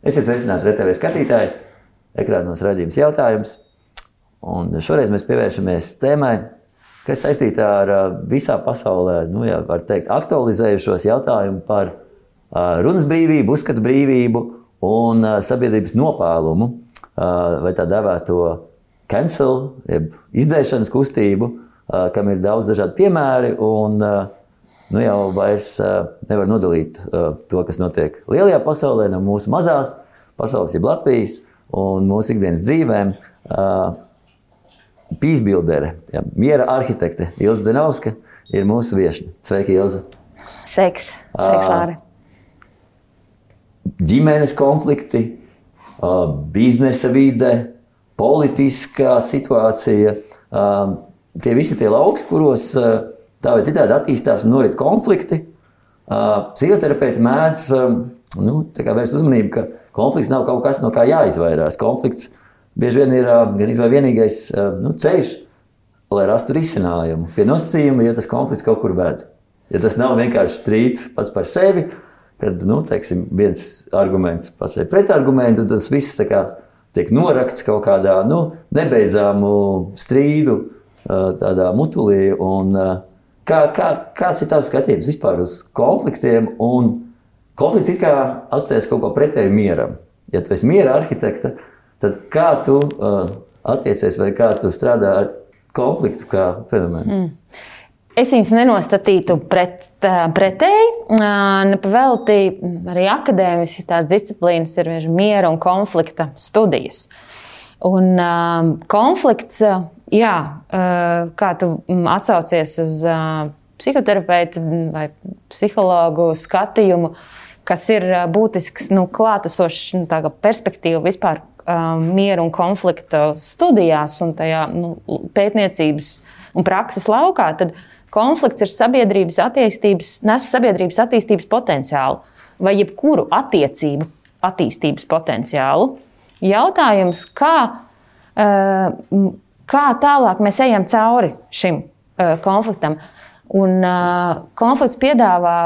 Esiet sveicināti RTV skatītāji, ekrānos raidījums jautājums. Un šoreiz mēs pievēršamies tēmai, kas saistīta ar visā pasaulē, var teikt, aktualizējušos jautājumu par runas brīvību, uzskatu brīvību un sabiedrības nopēlumu, vai tā dēvēto cancel, jeb izdzēšanas kustību, kam ir daudz dažādi piemēri un jau vairs nevar nodalīt to, kas notiek lielajā pasaulē no mūsu mazās pasaules, jeb Latvijas un mūsu ikdienas dzīvēm. Pīsbildere, miera arhitekte Ilze Dzenovska ir mūsu viešņa. Sveiki, Ilze! Sveiks, Lāri! Ģimenes konflikti, biznesa vide, politiskā situācija, tie visi tie lauki, kuros tā vai citādi attīstās un norit konflikti. Psihoterapeiti mēdz vērst uzmanību, ka konflikts nav kaut kas, no kā jāizvairās. Konflikts bieži vien ir gan vienīgais ceļš, lai rastu risinājumu. Pie nosacījuma, ja tas konflikts kaut kur ved. Ja tas nav vienkārši strīds pats par sevi, kad, viens arguments pats ir pretargumentu, tas viss tiek norakts kaut kādā, nebeidzāmu strīdu tādā mutulī. Un, kāds ir tavs skatījums vispār uz konfliktiem? Un konflikts it kā asociēs kaut ko pretēju mieram. Ja tu esi miera arhitekta, tad kā tu attiecies vai kā tu strādā ar konfliktu kā fenomenu? Es viņus nenostatītu pretēji. Nepavelti arī akadēmiski tās disciplīnas ir miera un konflikta studijas. Un konflikts, kā tu atsaucies uz psihoterapeitu vai psihologu skatījumu, kas ir būtisks, klātesošs perspektīva vispār miera un konflikta studijās un tajā pētniecības un prakses laukā, tad konflikts ir nes sabiedrības attīstības potenciālu vai jebkuru attiecību attīstības potenciālu. Jautājums, kā tālāk mēs ejam cauri šim konfliktam. Un konflikts piedāvā,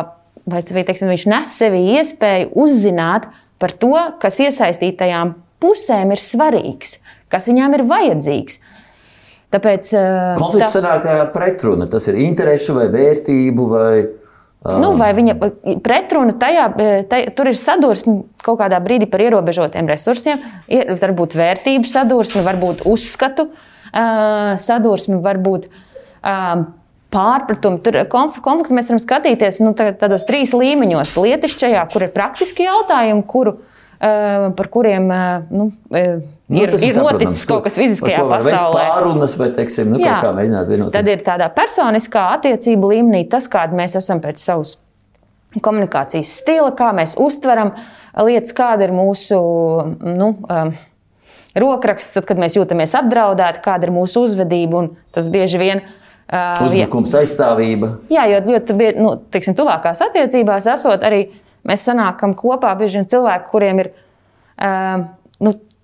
viņš nes sevī iespēju uzzināt par to, kas iesaistītajām pusēm ir svarīgs, kas viņām ir vajadzīgs. Tāpēc, konflikts sanāk pretruna, tas ir interešu vai vērtību vai... vai viņa pretruna tur ir sadursme kaut kādā brīdī par ierobežotiem resursiem, varbūt vērtību sadursme, varbūt uzskatu sadursme, varbūt pārpratumi. Tur konflikts mēs varam skatīties tādos 3 līmeņos. Lietišķajā, kur ir praktiski jautājumi, par kuriem ir noticis kaut kas fiziskajā pasaulē. Pārunas vai, kaut kā mēģināt vienoties. Tad ir tādā personiskā attiecību līmenī tas, kāda mēs esam pēc savas komunikācijas stila, kā mēs uztveram lietas, kāda ir mūsu rokraksts, tad, kad mēs jūtamies apdraudēti, kāda ir mūsu uzvedība, un tas bieži vien uzbrukums, aizstāvība. Jā, jo tuvākās attiecībās esot arī mēs sanākam kopā bieži vien cilvēki, kuriem ir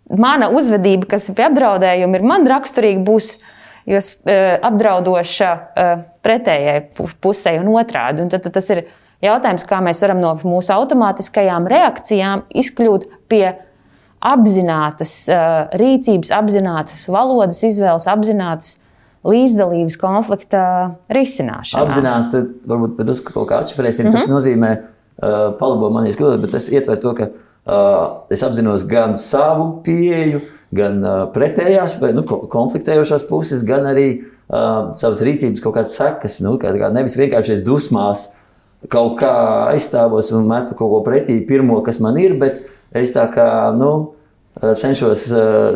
mana uzvedība, kas ir pie apdraudējuma, ir man raksturīga, būs apdraudoša pretējai pusē un otrādi. Un tad tas ir jautājums, kā mēs varam no mūsu automātiskajām reakcijām izkļūt pie apzinātas rīcības, apzinātas valodas izvēles, apzinātas līdzdalības konflikta risināšanā. Apzinās, tad varbūt kaut kā atšifrēsim, tas nozīmē palabo manīs kļūdot, bet es ietveru to, ka es apzinos gan savu pieeju, gan pretējās vai konfliktējošās puses, gan arī savas rīcības kaut kādas sekas. Kā nevis vienkārši dusmās kaut kā aizstāvos un metu kaut ko pretī pirmo, kas man ir, bet es cenšos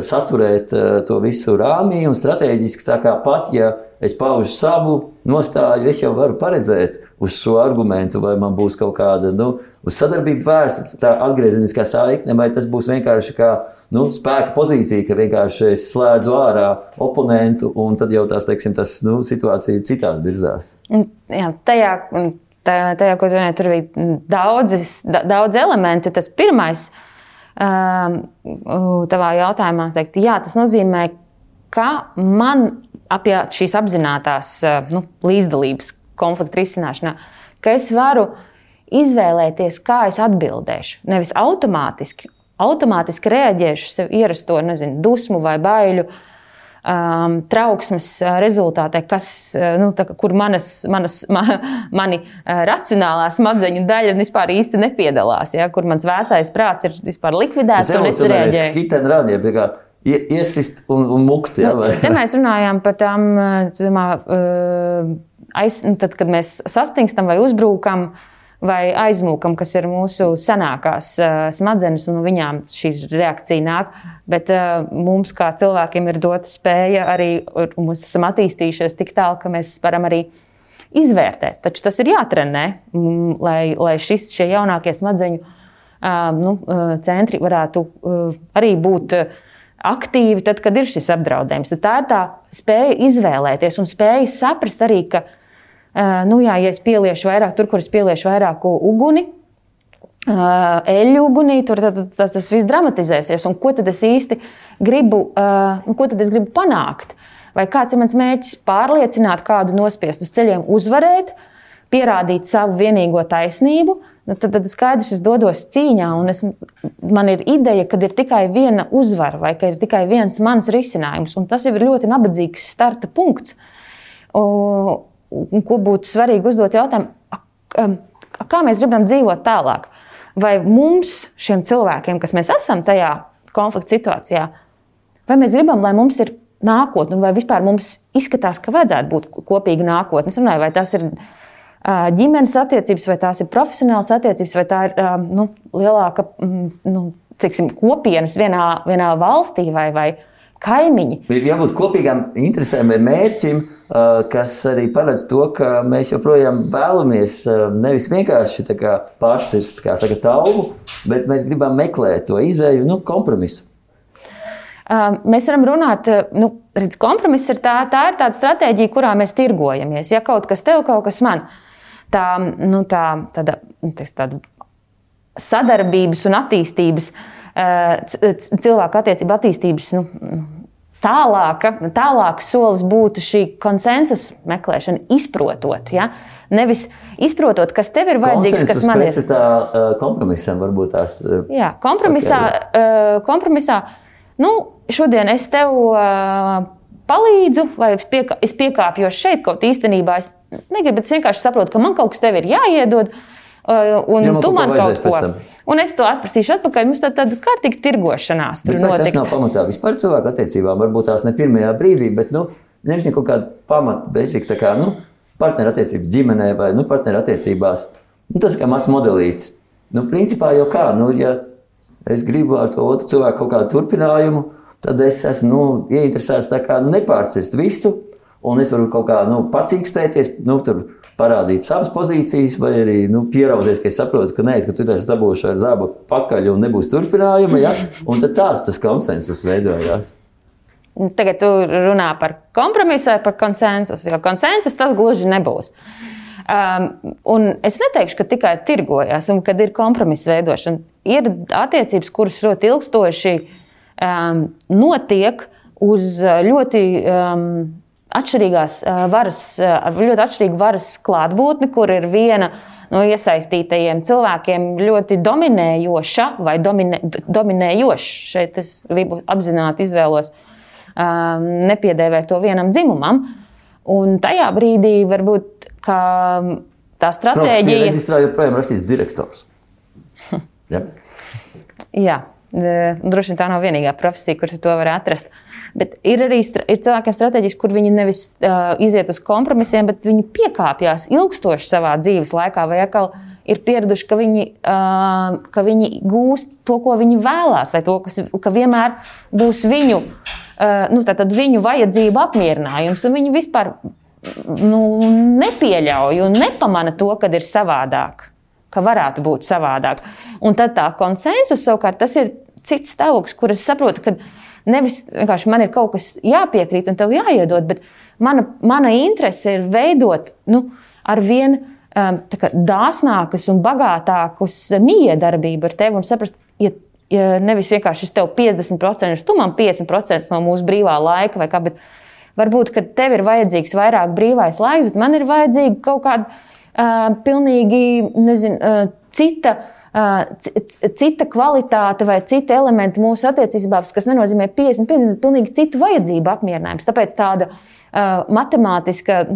saturēt to visu rāmī un strateģiski, tā kā pat, ja es paužu savu nostāju, es jau varu paredzēt uz šo argumentu, vai man būs kaut kāda, uz sadarbību vērsta, tā atgriezeniskā saikne, vai tas būs vienkārši kā, spēka pozīcija, ka vienkārši es slēdzu ārā oponentu, un tad jau tas situācija citādi virzās. Jā, tajā, ko tu vienai, tur bija daudz elementi. Tas pirmais, tavā jautājumā teikt, jā, tas nozīmē, ka man apie šīs apzinātās līdzdalības konflikta risināšanā, ka es varu izvēlēties, kā es atbildēšu. Nevis automātiski automātiski reaģēšu sev ierasto, dusmu vai baiļu, trauksmes rezultātē, kur mani racionālā smadzeņu daļa vispār īsti nepiedalās, ja, kur mans vēsais prāts ir vispār likvidēts un es reaģēju. Hit and run, ja, iesist un mukt. Ja, te mēs runājām par tām, tad, kad mēs sastingstam vai uzbrūkam, vai aizmūkam, kas ir mūsu senākās smadzenes, un viņām šī reakcija nāk. Bet mums, kā cilvēkiem, ir dota spēja arī, un mēs esam attīstījušies tik tālu, ka mēs varam arī izvērtēt. Taču tas ir jātrenē, lai šie jaunākie smadzeņu centri varētu arī būt aktīvi, tad, kad ir šis apdraudējums. Tad tā ir tā spēja izvēlēties un spēja saprast arī, ka ja es pieliešu vairāk, tur, kur es pieliešu vairāk uguni, eļļu ugunī, tur tas viss dramatizēsies. Un ko tad es īsti gribu, panākt? Vai kāds ir mans mērķis pārliecināt kādu nospiest uz ceļiem, uzvarēt, pierādīt savu vienīgo taisnību? Tad skaidrs, es dodos cīņā, un man ir ideja, ka ir tikai viena uzvara, vai ka ir tikai viens mans risinājums. Un tas jau ir ļoti nabadzīgs starta punkts. Ko būtu svarīgi uzdot jautājumu, kā mēs gribam dzīvot tālāk? Vai mums, šiem cilvēkiem, kas mēs esam tajā konflikta situācijā, vai mēs gribam, lai mums ir nākotne, vai vispār mums izskatās, ka vajadzētu būt kopīga nākotne? Es runāju, vai tas ir ģimenes attiecības, vai tās ir profesionālas attiecības, vai tā ir lielāka kopienas vienā valstī vai kaimiņi. Ir jābūt kopīgām interesēm vai mērķim, kas arī paredz to, ka mēs joprojām vēlamies nevis vienkārši pārcirst, kā saka, taubu, bet mēs gribam meklēt to izēju, kompromisu. Mēs varam runāt, kompromiss ir tā ir tāda stratēģija, kurā mēs tirgojamies. Ja kaut kas tev, kaut kas man. Tāda sadarbības un attīstības, cilvēku attiecību attīstības tālāks solis būtu šī konsensus meklēšana, izprotot. Ja? Nevis izprotot, kas tev ir vajadzīgs, kas man ir. Konsensus pēc tā kompromisam varbūt tās. Jā, kompromisā šodien es tev palīdzu, vai es piekāpjos šeit, kaut īstenībā es negribu, bet es vienkārši saprotu, ka man kaut kas tev ir jāiedod, un tu man kaut ko. Un es to atprasīšu atpakaļ. Mums tāda kārtīga tirgošanās tur notikt. Tas nav pamatā vispār cilvēku attiecībām. Varbūt tās ne pirmajā brīdī, bet nevis kaut kāda pamata, basic, partnerattiecības ģimenē vai partnerattiecībās. Tas kā mazs modelīts. Principā jau kā, ja es gribu ar to otru cilvēku kaut kādu turpinājumu, tad es esmu ieinteresēts nepārcirst visu, un es varu kaut kā pacīkstēties, tur parādīt savas pozīcijas, vai arī pieraudzies, ka es saprotu, ka ka tu esi dabūšu ar zābu pakaļ un nebūs turpinājuma, ja? Un tad tas konsensus veidojās. Tagad tu runā par kompromisu vai par konsensusu, jo konsensus tas gluži nebūs. Un es neteikšu, ka tikai tirgojās un kad ir kompromisa veidošana. Ir attiecības, kuras ļoti ilgstoši notiek uz ļoti atšķirīgas ļoti atšķirīgu varas klātbūtni, kur ir viena no iesaistītajiem cilvēkiem ļoti dominējoša vai dominējoša. Šeit es gribu apzināti izvēlos nepiedēvēt to vienam dzimumam. Un tajā brīdī varbūt, ka tā stratēģija... Profesija reģistrā joprojām rakstīs direktors. Ja? Jā, droši vien tā nav vienīgā profesija, kuras to var atrast. Bet ir arī cilvēkiem stratēģijas, kur viņi nevis iziet uz kompromisiem, bet viņi piekāpjās ilgstoši savā dzīves laikā, vai atkal ir pieraduši, ka viņi gūst to, ko viņi vēlās, vai to, ka vienmēr būs viņu vajadzību apmierinājums, un viņi vispār nepieļauj un nepamana to, kad ir savādāk, ka varētu būt savādāk. Un tad tā konsensus savukārt, tas ir cits stāvoklis, kur es saprotu, ka nevis vienkārši man ir kaut kas jāpiekrīt un tev jāiedod, bet mana interese ir veidot ar vien dāsnākus un bagātākus miedarbību ar tevi un saprast, ja nevis vienkārši es tev 50%, tu man 50% no mūsu brīvā laika vai kā, bet varbūt, ka tev ir vajadzīgs vairāk brīvais laiks, bet man ir vajadzīga kaut kāda pilnīgi, cita cita kvalitāte vai cita elementi mūsu attiecībās, kas nenozīmē 50, bet pilnīgi citu vajadzību apmierinājums. Tāpēc tāda matemātiska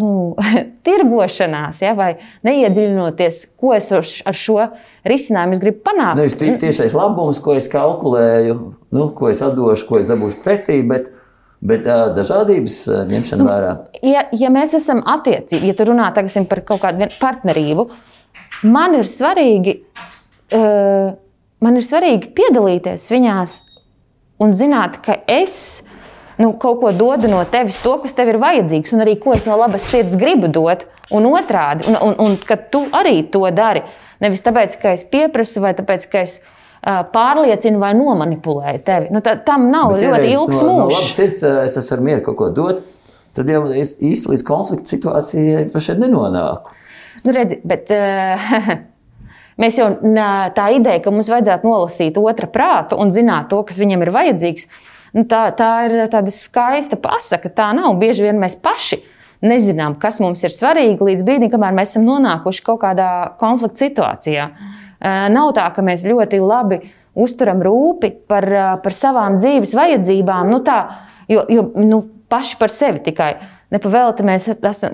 tirgošanās, ja, vai neiedziļinoties, ko es ar šo risinājumu gribu panākt. Nevis tiešais labums, ko es kalkulēju, ko es atdošu, ko es dabūšu pretī, bet dažādības ņemšana vērā. Ja mēs esam attiecīgi, ja tu runā tagad par kaut kādu partnerību, man ir svarīgi piedalīties viņās un zināt, ka es kaut ko dodu no tevis, to, kas tev ir vajadzīgs, un arī ko es no labas sirds gribu dot, un otrādi, un ka tu arī to dari. Nevis tāpēc, ka es pieprasu, vai tāpēc, ka es pārliecinu vai nomanipulēju tevi. Tam nav ļoti ilgs mūžs. No labas sirds es esmu ar mieru kaut ko dot, tad jau īsti līdz konflikta situācijai pašai nenonāku. Redzi, bet mēs jau tā ideja, ka mums vajadzētu nolasīt otra prātu un zināt to, kas viņam ir vajadzīgs, tā ir tāda skaista pasaka. Tā nav. Bieži vien mēs paši nezinām, kas mums ir svarīgi līdz brīdim, kamēr mēs esam nonākuši kaut kādā konflikta situācijā. Nav tā, ka mēs ļoti labi uzturam rūpi par savām dzīves vajadzībām, jo paši par sevi tikai. Nepavēlti mēs esam,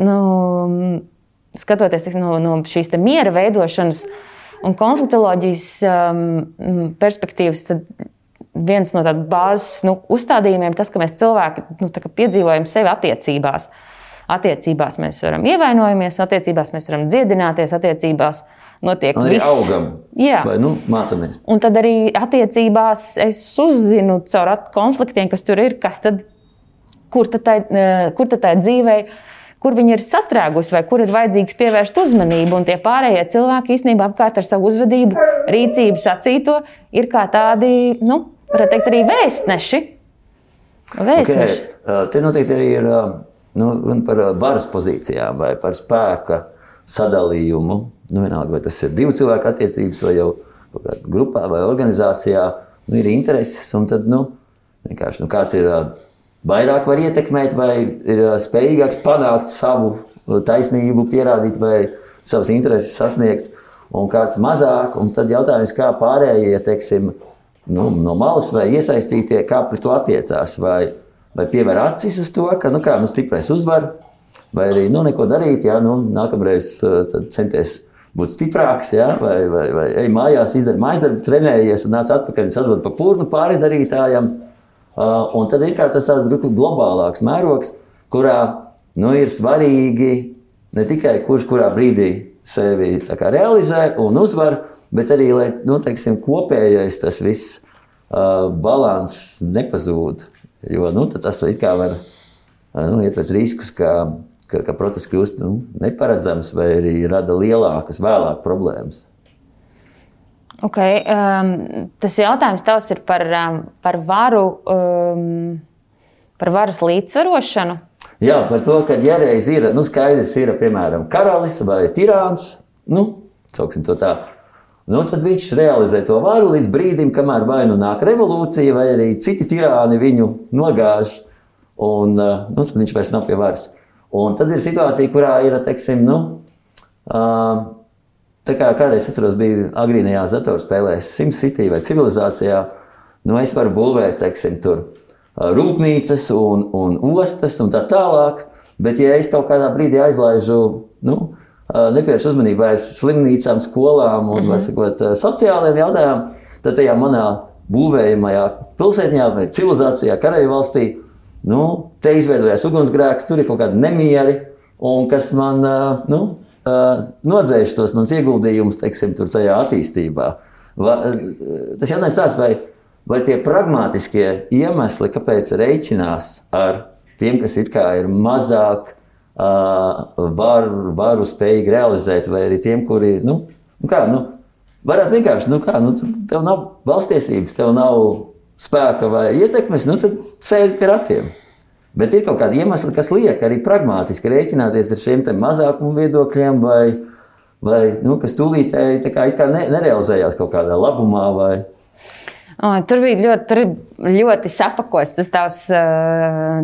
skatoties no šīs miera veidošanas un konfliktoloģijas perspektīvas, tad viens no tādu bāzes uzstādījumiem tas, ka mēs cilvēki piedzīvojam sevi attiecībās. Attiecībās mēs varam ievainojamies, attiecībās mēs varam dziedināties, attiecībās notiek viss. Augam, jā. Vai mācamies. Un tad arī attiecībās es uzzinu caur konfliktiem, kas tur ir, kur tad tā dzīvei, kur viņi ir sastrēgusi vai kur ir vajadzīgs pievērst uzmanību. Un tie pārējie cilvēki īstenībā apkārt ar savu uzvedību, rīcību sacīto ir kā tādi, varētu teikt, arī vēstneši. Okay. Te noteikti arī ir runa par varas pozīcijām vai par spēka sadalījumu. Vienalga, vai tas ir divu cilvēku attiecības vai jau grupā vai organizācijā, ir intereses un tad, vienkārši, kāds ir vairāk var ietekmēt vai ir spējīgāks panākt savu taisnību, pierādīt vai savas intereses sasniegt un kāds mazāk. Un tad jautājums, kā pārējie, teiksim, no malas vai iesaistītie, kā pret to attiecās, vai pievēr acis uz to, ka stiprais uzvar, vai arī neko darīt, nākamreiz centies būt stiprāks, vai ej mājās, izdari mājasdarbu, trenējies un nāc atpakaļ un atdod pa purnu pāri darītājam. Un tad ir kā tas tāds globālāks mērogs, kurā ir svarīgi ne tikai kurā brīdī sevi realizē un uzvar, bet arī, lai kopējais tas viss balans nepazūd. Jo tad tas it kā var ietvert riskus, ka process kļūst neparedzams vai arī rada lielākas vēlāk problēmas. Okay. Tas jautājums tavs ir par varu, par varas līdzsvarošanu? Jā, par to, ka ja reiz ir, skaidrs ir, piemēram, karalis vai tirāns, sauksim to tā, tad viņš realizē to varu līdz brīdim, kamēr vai nāk revolūcija, vai arī citi tirāni viņu nogāž, un tad viņš vairs nav pie varas. Un tad ir situācija, kurā ir, teiksim, tā kā kādreiz atceros, bija agrīnajās datorspēlēs SimCity vai civilizācijā, es varu būvēt, teiksim, tur rūpnīcas un ostas un tā tālāk, bet ja es kaut kādā brīdī aizlaižu, nepievēršu uzmanību vairs slimnīcām, skolām un, sociālajiem jautājumiem, tad tajā manā būvējamajā pilsētņā vai civilizācijā, kareju valstī, te izveidojās ugunsgrēks, tur ir kaut kādi nemieri, un kas man, nodzēš tos mans ieguldījumus, teiksim, tur tajā attīstībā. Tas jautājums tāds, vai tie pragmātiskie iemesli, kāpēc reiķinās ar tiem, kas it kā ir mazāk varu spējīgi realizēt, vai arī tiem, kuri, varētu vienkārši, tev nav valstiesības, tev nav spēka vai ietekmes, tad sēdi pie ratiem. Bet ir kaut kādi iemesli, kas liek arī pragmātiski rēķināties ar šiem mazākumu viedokļiem vai kas tūlītēji it kā nerealizējās kaut kādā labumā vai... Tur ļoti sapakots tas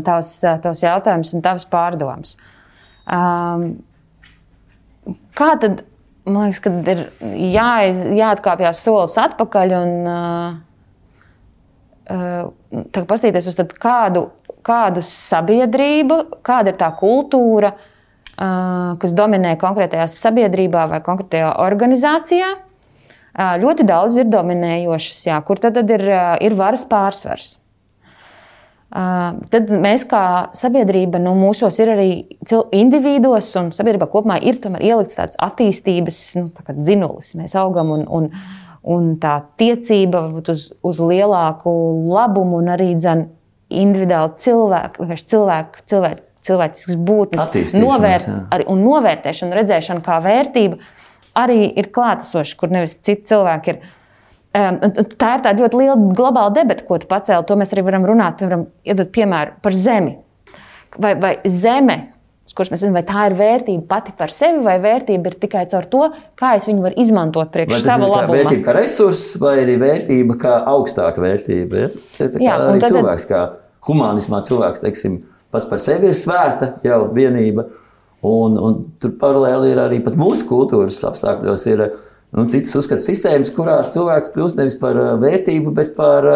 tavs jautājums un tavs pārdoms. Kā tad man liekas, ka ir jāatkāpjas solis atpakaļ un paskatīties uz kādu sabiedrību, kāda ir tā kultūra, kas dominē konkrētajā sabiedrībā vai konkrētajā organizācijā. Ļoti daudz ir dominējošas, jā, kur tad ir varas pārsvars. Tad mēs kā sabiedrība, mūsos ir arī individos un sabiedrībā kopumā ir tomēr ielikts tāds attīstības dzinulis. Mēs augam un tā tiecība varbūt uz lielāku labumu un arī individuāli cilvēcisks būtnes novērtēšana, redzēšana kā vērtība arī ir klātesoša, kur nevis citi cilvēki ir. Tā ir tāda ļoti liela globāla debata, ko tu pacēli. To mēs arī varam runāt, piemēram, iedot piemēru par zemi. Vai zeme, uz kuras mēs zinām, vai tā ir vērtība pati par sevi, vai vērtība ir tikai caur to, kā es viņu varu izmantot priekš sava labuma. Vai vērtība kā resurss, vai arī vērtība kā augstāka vērtība? Ja? Arī cilvēks, kā humanismā cilvēks, teiksim, pats par sevi ir svēta jau vienība. Un tur paralēli ir arī pat mūsu kultūras apstākļos ir citas uzskatu sistēmas, kurās cilvēks kļūst nevis par vērtību, bet par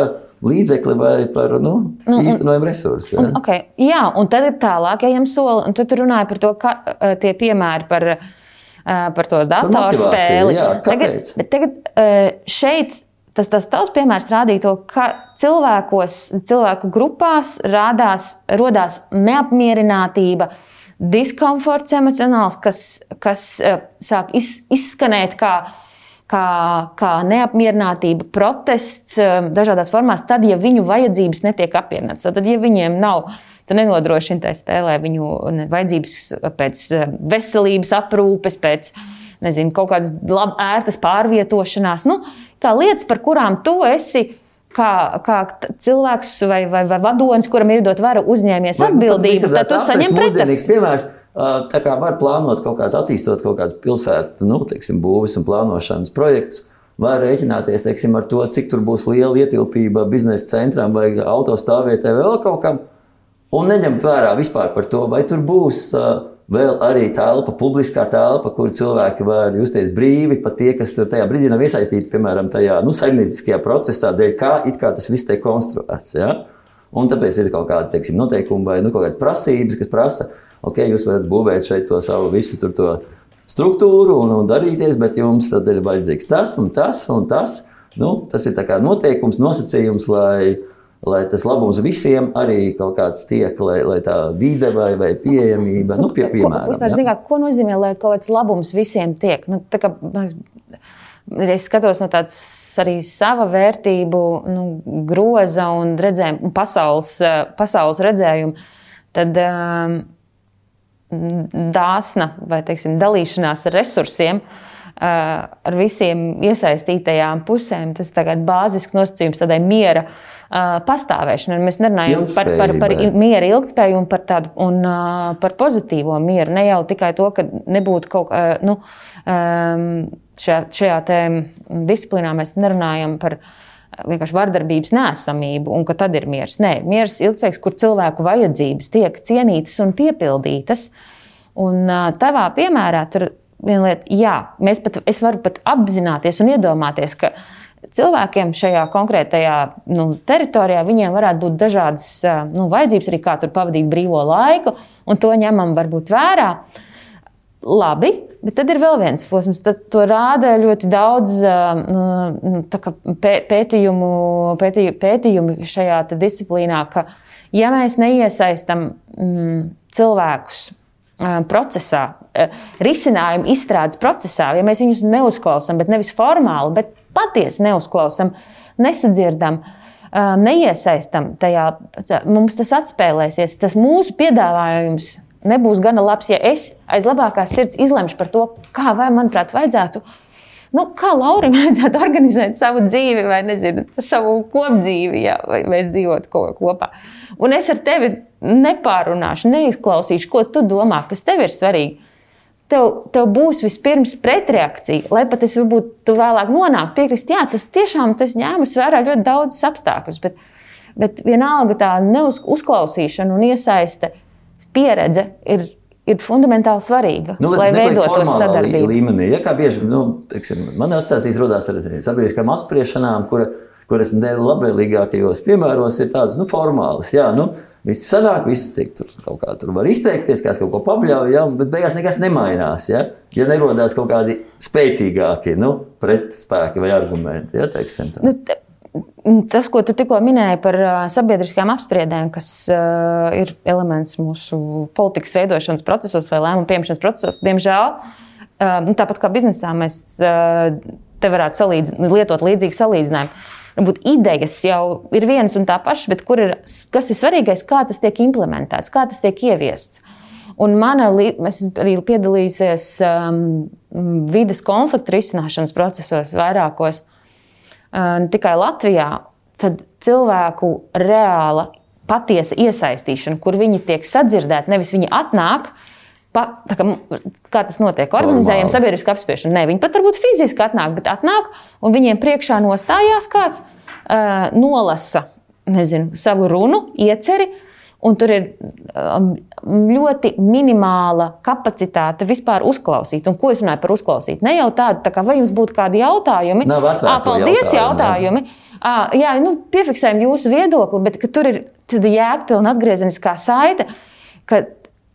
līdzekli vai par īstenojumu resursu. Ja? Okay. Jā, un tad ir tālāk ejam soli, un tad runāja par to, ka tie piemēri par to datorspēli. Jā, kāpēc? Tagad šeit tas tavs piemērs rādīja to, ka cilvēku grupās rodās neapmierinātība, diskomforts emocionāls, kas sāk izskanēt kā neapmierinātība, protests dažādās formās, tad, ja viņu vajadzības netiek apmierinātas. Tad, ja viņiem nav, tu nenodrošini tai spēlē viņu vajadzības pēc veselības aprūpes, pēc, kaut kādas ērtas pārvietošanās, kā lietas, par kurām tu esi kā cilvēks vai vadonis, kuram ir dot vara uzņēmies atbildību, tad tu saņem pretestus. Piemērs, tā kā var plānot attīstot kaut kādas pilsētu, būves un plānošanas projektus, var rēķināties, ar to, cik tur būs liela ietilpība biznesa centram vai autostāvvietē vēl kaut kam, un neņemt vērā vispār par to, vai tur būs vēl arī telpa, publiskā telpa, kur cilvēki var justies brīvi, pat tie, kas tur tajā brīdī nav iesaistīti, piemēram, tajā saimnieciskajā procesā, dēļ kā tas viss tiek konstruēts. Ja? Un tāpēc ir kaut kādi, noteikumi vai kaut kādas prasības, kas prasa, jūs varat būvēt šeit to savu visu tur to struktūru un darīties, bet jums tad ir vajadzīgs tas un tas un tas. Tas ir tā kā noteikums, nosacījums, lai tas labums visiem arī kaut kāds tiek, lai tā vide vai pieejamība, piemēram. Ko nozīmē, lai kaut kāds labums visiem tiek? Es skatos no tāds arī sava vērtību groza un redzējumu, pasaules redzējumu, tad dāsna vai, dalīšanās ar resursiem ar visiem iesaistītajām pusēm, tas tagad bāzisks nosacījums tādai miera pastāvēšanai. Mēs nerunājam par miera ilgtspēju un par pozitīvo mieru. Ne jau tikai to, ka nebūtu kaut šajā disciplīnā mēs nerunājam par vienkārši vardarbības neesamību un ka tad ir miers. Nē, miers ilgtspējīgs, kur cilvēku vajadzības tiek cienītas un piepildītas. Un tavā piemērā tur viena lieta, es varu pat apzināties un iedomāties, ka cilvēkiem šajā konkrētajā teritorijā viņiem varētu būt dažādas vajadzības, arī kā tur pavadīt brīvo laiku, un to ņemam varbūt vērā. Labi, bet tad ir vēl viens posms. Tad to rāda ļoti daudz pētījumi šajā disciplīnā, ka ja mēs neiesaistam cilvēkus procesā, risinājumu izstrādes procesā, ja mēs viņus neuzklausām, bet nevis formāli, bet patiesi neuzklausām, nesadzirdam, neiesaistam tajā, mums tas atspēlēsies. Tas mūsu piedāvājums nebūs gana labs, ja es aiz labākās sirds izlemšu par to, kā vai, manuprāt, vajadzētu, kā Laurim vajadzētu organizēt savu dzīvi vai, savu kopdzīvi, vai mēs dzīvotu kopā. Un es ar tevi nepārunāšu, neizklausīšu, ko tu domā, kas tev ir svarīgi. Tev būs vispirms pretreakcija, lai pat es varbūt tu vēlāk nonāktu piekrist, tas tiešām tas ņēmus vērā ļoti daudzas apstākļus, bet vienalga tā neuzklausīšana un iesaiste pieredze ir ir fundamentāli svarīga, lai veidotos sadarbība. Līmenī. Ja kā bieži, teiksim, man asociācijas rodās ar sabiedriskām apspriešanām, kuras labvēlīgākajos piemēros ir tādas, formālas. Jā, visi sanāk, visi tiek kaut kā tur var izteikties, kāds kaut ko pabļauj, bet beigās nekas nemainās, ja nerodās kaut kādi spēcīgāki, pretspēki vai argumenti, ja, teiksim tā. Tas, ko tu tikko minēji par sabiedriskām apspriedēm, kas ir elements mūsu politikas veidošanas procesos vai lēmumu pieņemšanas procesos, diemžēl, tāpat kā biznesā, mēs te varētu lietot līdzīgi salīdzinājumu. Varbūt idejas jau ir vienas un tā pašas, bet kas ir svarīgais, kā tas tiek implementēts, kā tas tiek ieviests. Un es arī piedalīsies vides konfliktu risināšanas procesos vairākos, ne tikai Latvijā, tad cilvēku reāla patiesa iesaistīšana, kur viņi tiek sadzirdēti, nevis viņi atnāk, kā tas notiek, organizējam sabiedrisku apspriešanu. Ne, viņi pat varbūt fiziski atnāk, bet atnāk un viņiem priekšā nostājās kāds, nolasa, savu runu, ieceri, un tur ir ļoti minimāla kapacitāte vispār uzklausīt. Un ko es runāju par uzklausīt? Ne jau tādu, vai jums būtu kādi jautājumi? Paldies, jautājumi. Jā, piefiksējam jūsu viedokli, bet tur ir jēgpilna atgriezeniskā saite, ka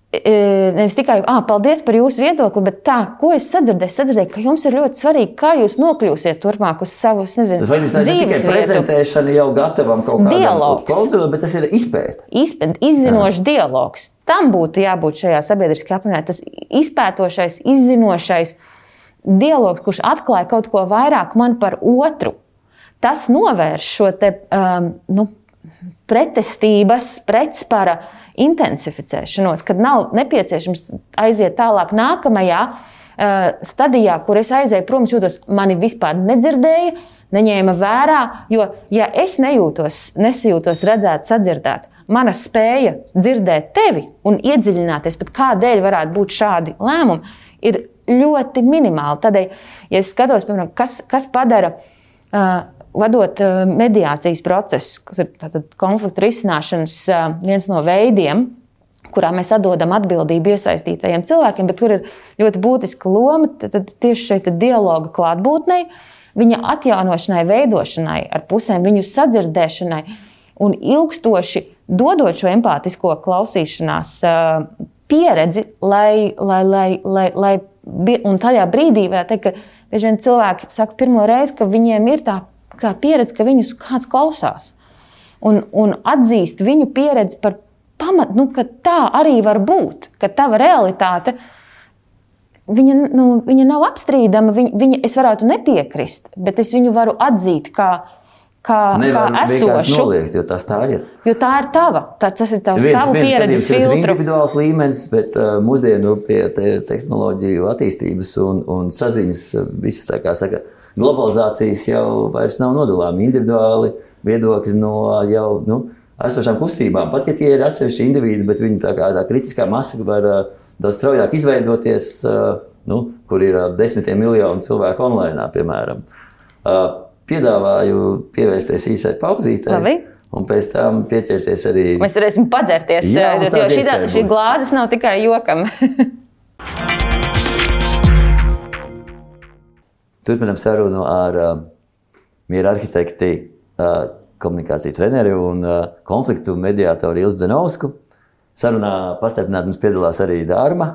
nevis tikai paldies par jūsu viedokli, bet tā, ko es sadzirdēju, ka jums ir ļoti svarīgi, kā jūs nokļūsiet turpmāk uz savu, dzīves vietu. Tā ir tikai prezentēšana jau gatavam kaut kādam kultūram, bet tas ir izpēta. Izzinošs dialogs. Tam būtu jābūt šajā sabiedriskajā apvienībā. Tas izpētošais, izzinošais dialogs, kurš atklāja kaut ko vairāk man par otru. Tas novērš šo te, pretestības, pretspara intensificēšanos, kad nav nepieciešams aiziet tālāk nākamajā stadijā, kur es aizēju prom, jūtos, mani vispār nedzirdēja, neņēma vērā, jo, ja es nesajūtos redzēt, sadzirdēt, mana spēja dzirdēt tevi un iedziļināties, pat kādēļ varētu būt šādi lēmumi, ir ļoti minimāli. Tādēļ, ja es skatos, piemēram, kas padara vadot mediācijas procesu, kas ir konfliktu risināšanas viens no veidiem, kurā mēs atdodam atbildību iesaistītajiem cilvēkiem, bet kur ir ļoti būtiska loma tad tieši šeit dialoga klātbūtnei, viņa atjaunošanai, veidošanai ar pusēm, viņu sadzirdēšanai un ilgstoši dodot šo empātisko klausīšanās pieredzi, lai un tajā brīdī varētu teikt, ka bieži vien cilvēki saka pirmo reizi, ka viņiem ir tā pieredze, ka viņus kāds klausās. Un atzīst viņu pieredzi par pamatu, ka tā arī var būt, ka tava realitāte, viņa nav apstrīdama, es varētu nepiekrist, bet es viņu varu atzīt kā esošu. Noliegt, jo tas tā ir. Jo tā ir tava. Tas ir tavu pieredzes filtru. Tas ir individuāls līmenis, bet mūsdienu pie tehnoloģiju attīstības un saziņas visas, tā kā saka, globalizācijas jau vairs nav nodalāmi individuāli viedokļi no jau esošām kustībām. Pat ja tie ir atsevišķi individi, bet viņi tā kritiskā masa var daudz straujāk izveidoties, kur ir desmitiem miljonu cilvēku online, piemēram. Piedāvāju pievērsties īsai pauzītei. Labi. Un pēc tam pieķerties arī... Mēs varēsim padzerties, jo šī glāzes nav tikai jokam. Turpinām sarunu ar miera arhitekti, komunikāciju treneri un konfliktu mediātoru Ilzi Dzenovsku. Sarunā pastarpināt mums piedalās arī Darmo.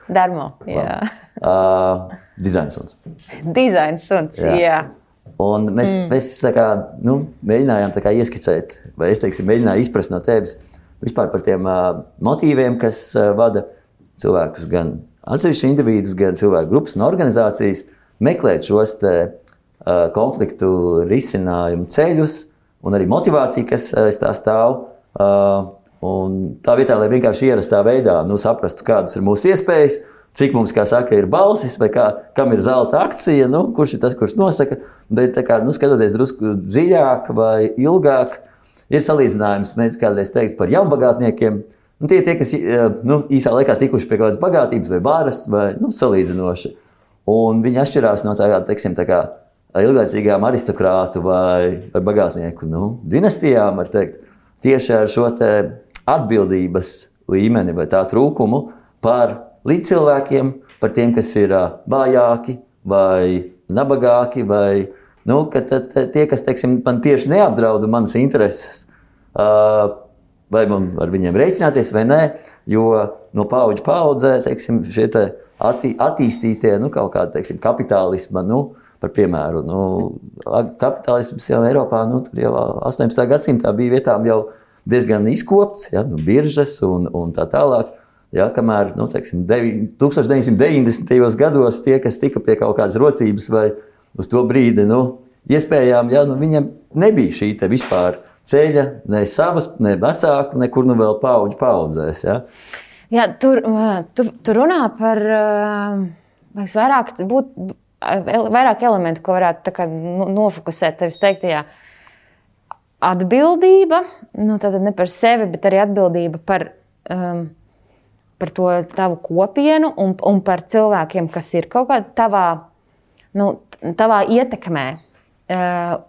Darmo, jā. Dizaina suns. Dizaina suns, jā. Un mēs mēģinājām ieskicēt, vai es mēģināju izprast no tevis vispār par tiem motīviem, kas vada cilvēkus gan atsevišķi individus, gan cilvēku grupas un organizācijas meklēt šos konfliktu risinājumu ceļus un arī motivāciju, kas aiz tā stāv. Un tā vietā, lai vienkārši ierastā veidā saprastu, kādas ir mūsu iespējas, cik mums, kā saka, ir balsis vai kam ir zelta akcija, kurš ir tas, kurš nosaka. Bet skatoties drusku dziļāk vai ilgāk, ir salīdzinājums, mēs kādreiz teikt par jaunbagātniekiem. Tie, kas īsā laikā tikuši pie kādas bagātības vai varas, vai salīdzinoši. Un viņi atšķirās no ilglaicīgām aristokrātu vai bagātnieku dinastijām, var teikt, tieši ar šo atbildības līmeni vai tā trūkumu par līdzcilvēkiem, par tiem, kas ir vājāki vai nabagāki, vai ka tie, kas, teiksim, man tieši neapdrauda manas intereses, vai man ar viņiem rēķināties vai nē, jo no paudžu paudzē, teiksim, šie attīstītie, kaut kāda, teiksim, kapitālisma, par piemēru, kapitālisms jau Eiropā, tur jau 18. gadsimtā bija vietām jau diezgan izkopts, biržas un tā tālāk. Kamēr, teiksim, 1990. gados tie, kas tika pie kaut kādas rocības vai uz to brīdi, iespējām, viņiem nebija šī te vispār ceļa, ne savas, ne vecāku, nekur vēl paudžu paudzēs. Jā, tur runā par vairāk elementu, ko varētu nofokusēt tevis teiktajā. Atbildība, tātad ne par sevi, bet arī atbildība par to tavu kopienu un par cilvēkiem, kas ir kaut kādā tavā ietekmē.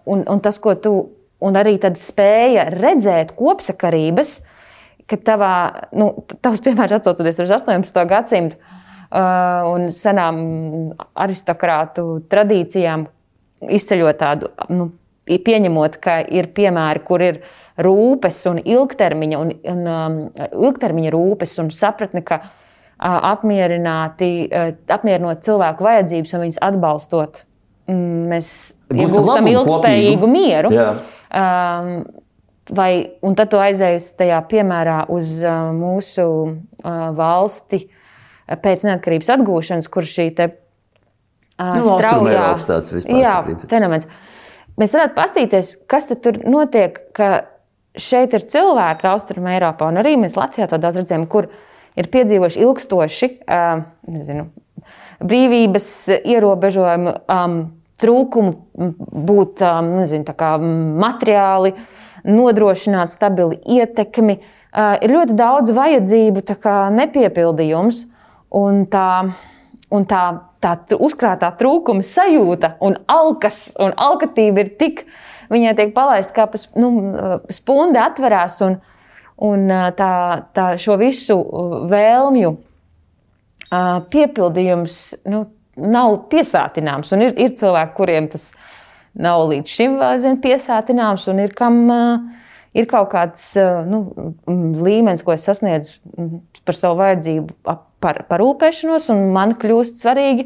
Un tas, ko tu, un arī tad spēja redzēt kopsakarības, ka tavs piemērs atsaucoties uz 18. gadsimtu un senām aristokrātu tradīcijām, izceļot tādu, pieņemot, ka ir piemēri, kur ir rūpes un ilgtermiņa rūpes un sapratni, ka apmierinot cilvēku vajadzības un viņus atbalstot, mēs iegūstam ilgtspējīgu mieru. Un tad tu aizējies tajā piemērā uz mūsu valsti pēc neatkarības atgūšanas, kur šī te straujā fenomens. Mēs varētu pastīties, kas tad tur notiek, ka šeit ir cilvēki Austruma Eiropā, un arī mēs Latvijā to daudz redzējām, kur ir piedzīvojuši ilgstoši brīvības ierobežojumu, trūkumu būt materiāli, nodrošināt stabili ietekmi. Ir ļoti daudz vajadzību nepiepildījums, un tā uzkrātā trūkuma sajūta un alkatība ir tik, viņai tiek palaista kā spunde atverās un tā šo visu vēlmju piepildījums nav piesātināms. Un ir cilvēki, kuriem tas nav līdz šim vēl piesātināms, un ir kam ir kaut kāds līmenis, ko es sasniedzu par savu vajadzību parūpēšanos, un man kļūst svarīgi,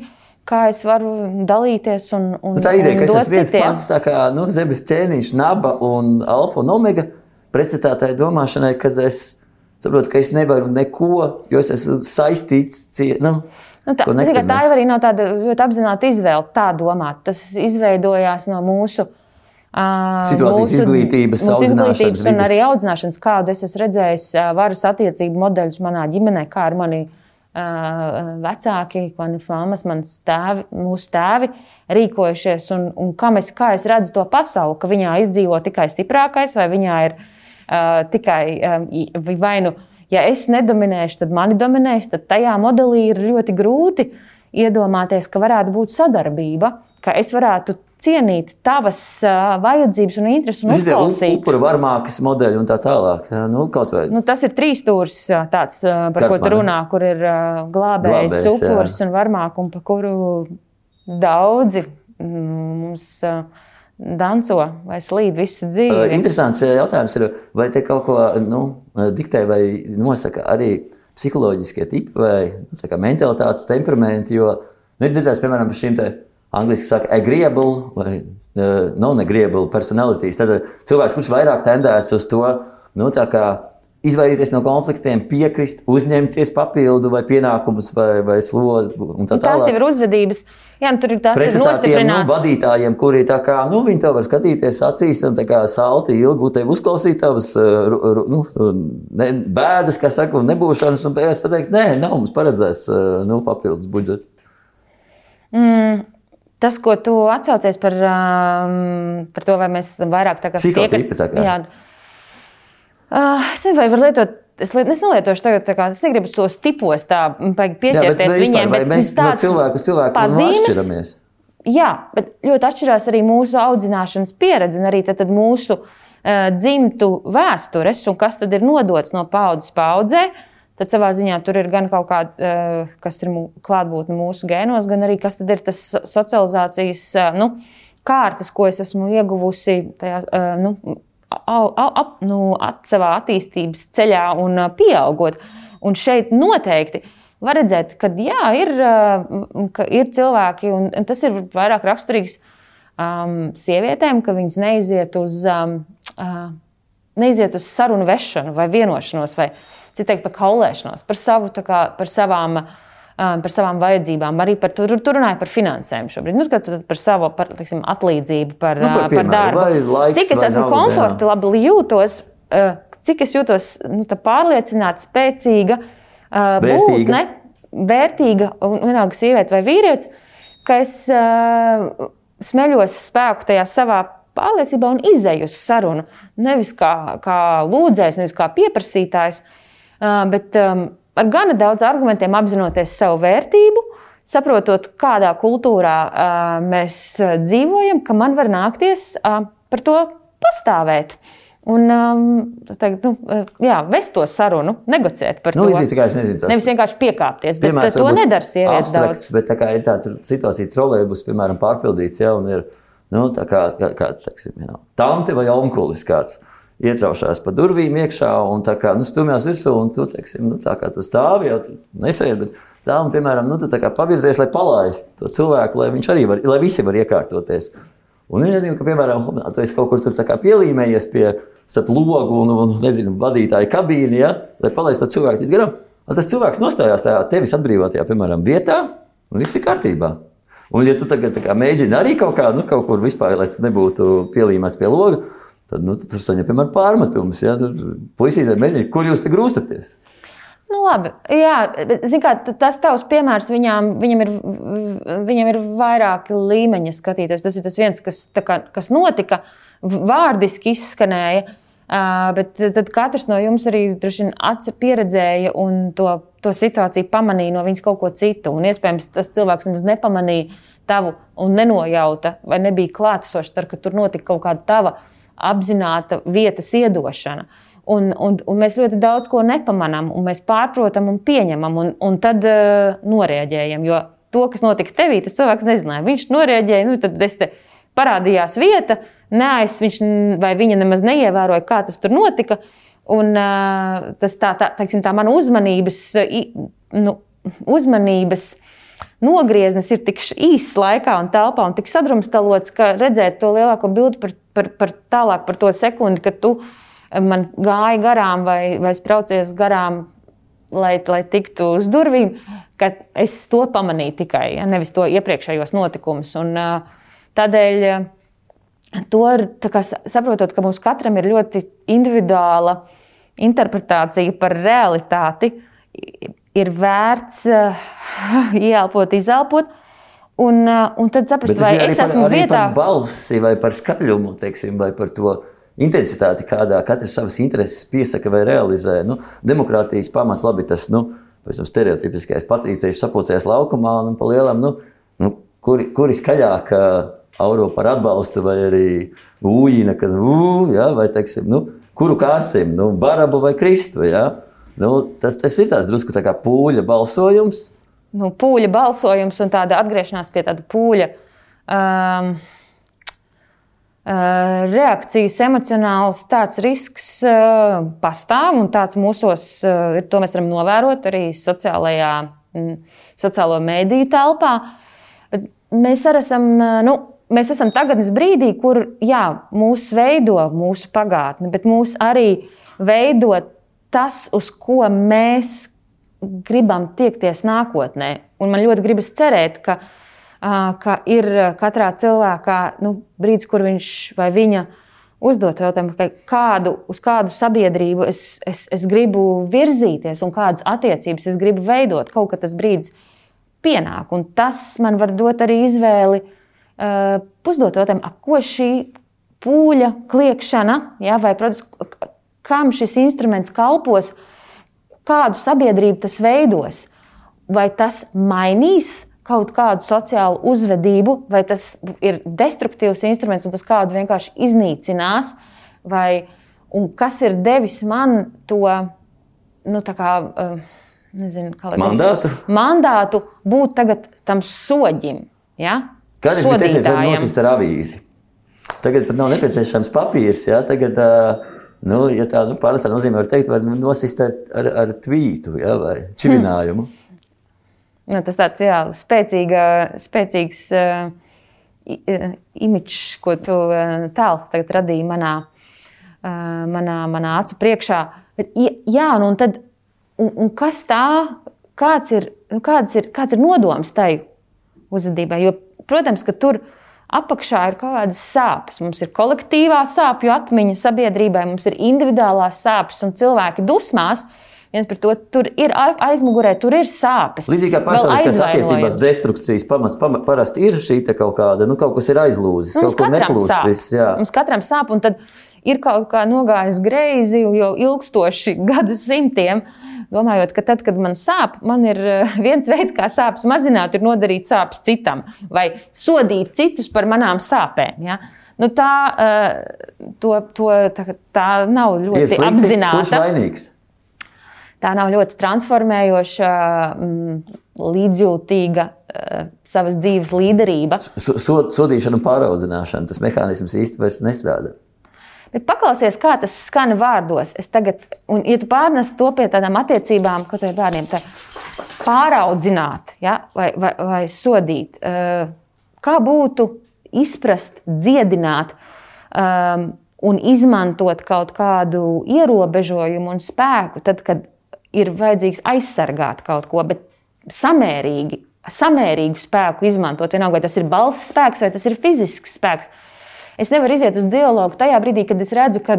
kā es varu dalīties un tā ideja, ka es esmu viens citiem. pats, tā kā zemes ķēniņš, naba un alfa un omega, pretstatā tai domāšanai, kad es saprotu, ka es nevaru neko, jo es esmu saistīts. Tā jau arī nav tāda ļoti apzināta izvēle tā domāt. Tas izveidojās no mūsu situācijas izglītības, audzināšanas un arī audzināšanas, kādu es esmu redzējis varas attiecību modeļus manā ģimenē, kā ar mani vecāki, manas mammas, mūsu tēvi rīkojušies un kā es redzu to pasauli, ka viņā izdzīvo tikai stiprākais vai viņā ir tikai vai ja es nedominēšu, tad mani dominēs, tad tajā modelī ir ļoti grūti iedomāties, ka varētu būt sadarbība, ka es varētu cienīt tavas vajadzības un intereses un uzklausīt. Upura varmākas modeļi un tā tālāk. Kaut vai. Tas ir trīsstūris tāds, par ko tu runā, kur ir glābējs, upuris un varmāk, un par kuru daudzi mums danco vai slīd visu dzīvi. Interesants jautājums ir, vai te kaut ko diktē vai nosaka arī psiholoģiskie tipi vai mentalitātes temperamenti, jo ir dzirdēts, piemēram, par šīm te angliski saka agreeable vai non-agreeable personalities. Tad cilvēks, kurš vairāk tendēts uz to, izvairīties no konfliktiem, piekrist, uzņemties papildu vai pienākumus vai slogu un tā tālāk. Tās jau ir uzvedības. Jā, tur ir tās ir nostiprināts. Vadītājiem, kuri viņi tev var skatīties acīs un salti ilgi tevi uzklausīt tavas bēdas, kā saka, un nebūšanas, un pēc pateikt, nē, nav mums paredzēts papildus budžets. Tas, ko tu atsaucies par to, vai mēs vairāk psihotipi, es nevaru var lietot, es nelietošu tagad, es negribu tos tipos tā pieķerties viņiem, bet mēs no cilvēku uz cilvēku atšķiramies. Jā, bet ļoti atšķirās arī mūsu audzināšanas pieredze un arī tad mūsu dzimtu vēstures un kas tad ir nodots no paudzes paudzē, tad savā ziņā tur ir gan kaut kāda, kas ir klātbūtne mūsu gēnos, gan arī kas tad ir tas socializācijas kārtas, ko es esmu ieguvusi tajā, savā attīstības ceļā un pieaugot. Un šeit noteikti var redzēt, ka ir cilvēki, un tas ir vairāk raksturīgs sievietēm, ka viņas neiziet uz sarunu vešanu vai vienošanos, vai citreiz par kaulēšanos, par savām vajadzībām. Arī tur runāja par finansēm šobrīd. Par savu atlīdzību, par darbu. Cik es esmu komfortabli jūtos, cik es jūtos pārliecināta, spēcīga, būtne, vērtīga, un vienalga sieviete vai vīrietis, ka es smeļos spēku tajā savā pārliecībā un izeju uz sarunu. Nevis kā lūdzējs, nevis kā pieprasītājs, bet ar gana daudz argumentiem apzinoties savu vērtību, saprotot, kādā kultūrā mēs dzīvojam, ka man var nākties par to pastāvēt. Un vest to sarunu, negociēt par to. Nevis vienkārši piekāpties, bet piemēram, to nedara sievietes daudz. Bet tā kā ir tā situācija trolejbus, piemēram, pārpildīts, un ir tā kā tante vai onkulis kāds ietraušās pa durvīm iekšā un tā kā stumjās virsū un tu, tā kā tu stāvi, jau tu nesēdi, bet tā un, piemēram, tu tā kā pavirzies, lai palaistu to cilvēku, lai viņš arī lai visi var iekārtoties. Un viņi redzīja, ka, piemēram, tu esi kaut kur tur tā kā pielīmējies pie starp logu un vadītāju kabīni, lai palaistu to cilvēku tikt garām. Tas cilvēks nostājās tajā tevis atbrīvotajā, piemēram, vietā, un viss ir kārtībā. Un, ja tu tagad mēģini arī kaut kur vispār, lai tu nebūtu pielīmēts pie loga, tad tu saņem, piemēram, pārmetumus. Puisītē mēģini, kur jūs te grūstaties? Labi, zin kā, tas tavs piemērs, viņam ir vairāki līmeņi skatīties. Tas ir tas viens, kas notika, vārdiski izskanēja, bet tad katrs no jums arī droši vien pieredzēja un to situāciju pamanīja no viņas kaut ko citu. Un iespējams, tas cilvēks nemaz nepamanīja tavu un nenojauta vai nebija klātesošs, ka tur notika kaut kāda tava apzināta vietas iedošana. Un mēs ļoti daudz ko nepamanām, un mēs pārprotam un pieņemam, un tad norēģējam. Jo to, kas notika tevī, tas cilvēks nezināja. Viņš norēģēja, tad parādījās vieta, viņš vai viņa nemaz neievēroja, kā tas tur notika. Un tas tā mana uzmanības nogrieznis ir tik īss laikā un telpā un tik sadrumstalots, ka redzēt to lielāko bildi tālāk par to sekundi, kad tu man gāja garām vai spraucies garām, lai tiktu uz durvīm, ka es to pamanīju tikai, nevis to iepriekšējos notikumus. Un tādēļ to saprotot, ka mums katram ir ļoti individuāla interpretācija par realitāti, ir vērts ieelpot, izelpot, un tad saprast, vai es esmu vietā. Bet par balsi vai par skaļumu, vai par to intensitāti, kādā katrs savas intereses piesaka vai realizē. Demokrātijas pamats labi tas, stereotipiskais patrīcieši sapulcējas laukumā un pa lielam, kuri skaļāk auro par atbalstu vai arī ūjina, kad vai kuru kāsim, Barabu vai Kristu, tas ir tās drusku tā kā pūļa balsojums. Pūļa balsojums un tāda atgriešanās pie tāda pūļa reakcijas emocionāls tāds risks pastāv un tāds mūsos, to mēs varam novērot arī sociālo mēdīju telpā. Mēs esam tagadnes brīdī, kur mūs veido mūsu pagātne, bet mūs arī veido tas, uz ko mēs gribam tiekties nākotnē. Un man ļoti gribas cerēt, ka ir katrā cilvēkā brīdis, kur viņš vai viņa uzdot jautājumu, uz kādu sabiedrību es gribu virzīties un kādas attiecības es gribu veidot. Kaut kad tas brīdis pienāk. Un tas man var dot arī izvēli uzdot jautājumu, ko šī pūļa kliekšana, vai, protams, kam šis instruments kalpos, kādu sabiedrību tas veidos. Vai tas mainīs kaut kādu sociālu uzvedību, vai tas ir destruktīvs instruments un tas kādu vienkārši iznīcinās, un kas ir devis man to, tā kā, nezinu, kā mandātu būt tagad tam soģim, ja? Kādreiz bija teicies, var nosist ar avīzi. Tagad pat nav nepieciešams papīrs, ja? Tagad, ja tā pārnestā nozīmē var teikt, var nosist ar tvītu, ja? Vai čivinājumu. Tas tāds, spēcīgs imidžs, ko tu tēls tagad radīji manā acu priekšā. Bet, un tad, un kas tā, kāds ir nodoms tai uzvedībai? Jo, protams, ka tur apakšā ir kaut kādas sāpes. Mums ir kolektīvā sāpju atmiņa sabiedrībai, mums ir individuālās sāpes un cilvēki dusmās. Viens par to, tur ir aizmugurē, tur ir sāpes. Līdzīgi kā personiskās attiecībās destrukcijas pamats parasti ir šī kaut kāda, kaut kas ir aizlūzis, kaut kur neplūst viss. Mums katram sāp, un tad ir kaut kā nogājis greizi jau ilgstoši gadsimtiem, domājot, ka tad, kad man sāp, man ir viens veids, kā sāpes mazināt, ir nodarīt sāpes citam vai sodīt citus par manām sāpēm. Ja? Tā nav ļoti apzināta. Kurš vainīgs? Tā nav ļoti transformējoša, līdzjūtīga savas dzīves līderība. Sodīšana un pāraudzināšana, tas mehānisms īsti vairs nestrādā. Bet paklausies, kā tas skan vārdos. Un, ja tu pārnes to pie tādām attiecībām, ko tev bērniem tā pāraudzināt, ja? vai sodīt, kā būtu izprast, dziedināt un izmantot kaut kādu ierobežojumu un spēku, tad, kad ir vajadzīgs aizsargāt kaut ko, bet samērīgu spēku izmantot, vienalga, vai tas ir balss spēks vai tas ir fizisks spēks. Es nevaru iziet uz dialogu tajā brīdī, kad es redzu, ka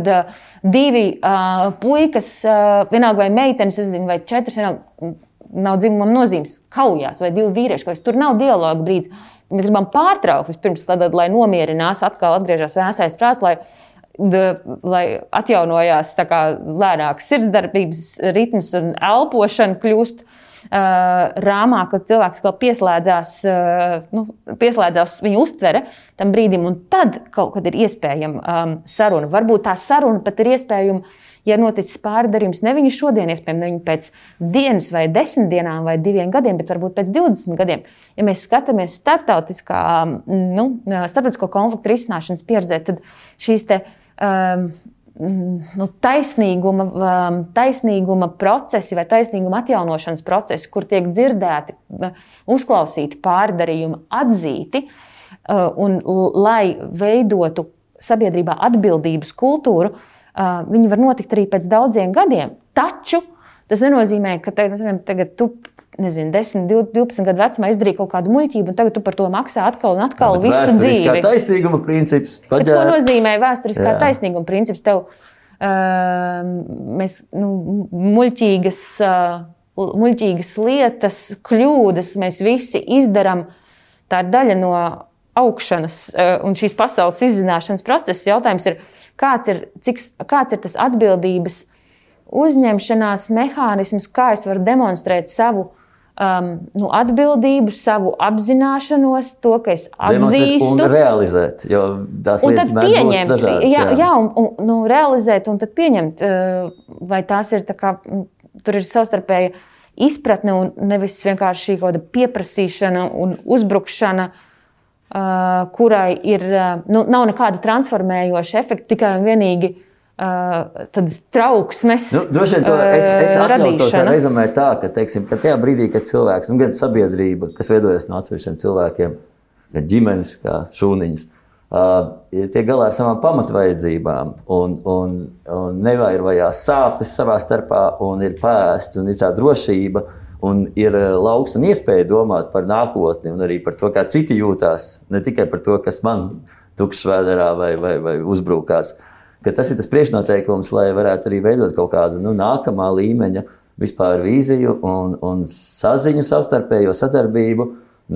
divi puikas, vienalga vai meitenes, vai četras, nav dzimuma nozīmes, kaujās, vai divi vīrieši, kaut kas tur nav dialogu brīdis. Mēs gribam pārtraukt vispirms, lai nomierinās, atkal atgriežas vēsais prāts, lai atjaunojās tā kā lēnāks sirdsdarbības ritms un elpošana kļūst rāmāk, kad cilvēks vēl pieslēdzās viņa uztvere tam brīdim, un tad kaut kad ir iespējama saruna. Varbūt tā saruna pat ir iespējama, ja noticis pārdarījums ne viņa šodien, iespējams, ne viņa pēc dienas vai 10 dienām vai 2 gadiem, bet varbūt pēc 20 gadiem. Ja mēs skatāmies starptautisko konfliktu risināšanas pieredzē, tad šīs taisnīguma procesi vai taisnīguma atjaunošanas procesi, kur tiek dzirdēti, uzklausīti pārdarījumi, atzīti, un lai veidotu sabiedrībā atbildības kultūru, viņi var notikt arī pēc daudziem gadiem. Taču tas nenozīmē, ka tagad tu 10, 12 gadu vecumā izdarīja kaut kādu muļķību, un tagad tu par to maksā atkal un atkal visu dzīvi. Vēsturiskā taisnīguma princips. Bet ko nozīmē vēsturiskā taisnīguma princips? Tev muļķīgas lietas, kļūdas mēs visi izdaram. Tā ir daļa no augšanas un šīs pasaules izzināšanas procesa. Jautājums ir, kāds ir tas atbildības uzņemšanās mehānisms, kā es varu demonstrēt savu atbildību, savu apzināšanos, to, ka es atzīstu. Un realizēt, jo tās lietas mēdz būt dažādas. Realizēt un tad pieņemt, vai tās ir tā kā, tur ir savstarpēja izpratne un nevis vienkārši šī kaut kāda pieprasīšana un uzbrukšana, kurai ir, nav nekāda transformējoša efekta, tikai un vienīgi tādas trauksmes droši vien to es atļautos ar rezumēt tā, ka tajā brīdī, kad cilvēks, gan sabiedrība, kas veidojas no atsevišķiem cilvēkiem, gan ģimenes, kā šūniņas, tiek galā ar savām pamatvajadzībām un nevairojās sāpes savā starpā un ir pēsts un ir tā drošība un ir lauks un iespēja domāt par nākotni un arī par to, kā citi jūtās, ne tikai par to, kas man tukšs vēderā vai uzbrūk kāds. Ka tas ir tas priekšnoteikums, lai varētu arī veidot kaut kādu nākamā līmeņa vispār vīziju un saziņu, savstarpējo sadarbību.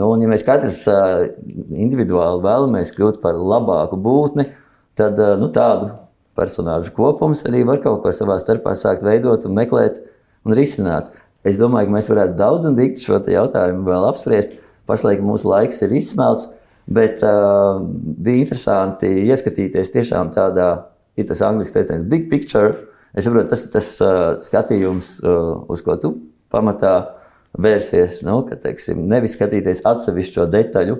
Un ja mēs katrs individuāli vēlamies kļūt par labāku būtni, tad tādu personāžu kopums arī var kaut ko savā starpā sākt veidot un meklēt un risināt. Es domāju, ka mēs varētu daudz un dikti šo jautājumu vēl apspriest. Pašlaik mūsu laiks ir izsmelts, bet bija interesanti ieskatīties tiešām tādā ir tas angliski teiciens big picture. Es saprotu, tas ir tas skatījums, uz ko tu pamatā vērsies, nu, ka, teiksim, nevis skatīties atsevišķo detaļu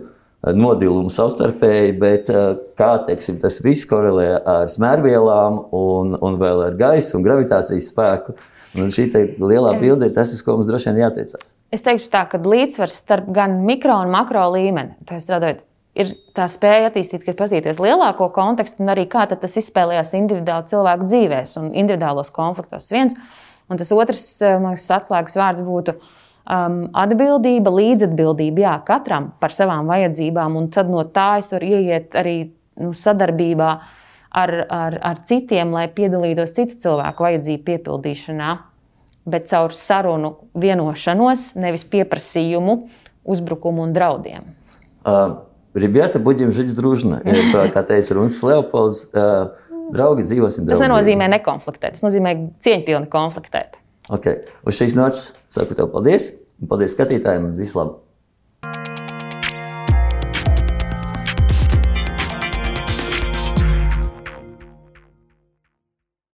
nodilumu savstarpēji, bet kā, teiksim, tas viss korelē ar smērvielām un vēl ar gaisu un gravitācijas spēku. Un šī lielā bilde ir tas, uz ko mums droši vien jātiecās. Es teikšu tā, ka līdzsvars starp gan mikro un makro līmeni, tā strādājot, ir tā spēja attīstīt, ka pazīties lielāko kontekstu un arī kā tas izspēlējās individuāli cilvēku dzīvēs un individuālos konfliktos viens. Un tas otrs, man liekas, atslēgas vārds būtu atbildība, līdzatbildība, jā, katram par savām vajadzībām, un tad no tā es varu ieiet arī sadarbībā ar citiem, lai piedalītos citu cilvēku vajadzību piepildīšanā, bet caur sarunu vienošanos, nevis pieprasījumu, uzbrukumu un draudiem. Rебята, будем жить дружно. Kā teica Runis Leopolds, draugi dzīvosim draudzīgi. Tas nenozīmē nekonfliktēt, tas nozīmē cieņpilni konfliktēt. Okay. Uz šīs nots saku tev paldies, un paldies skatītājiem, un visu labu!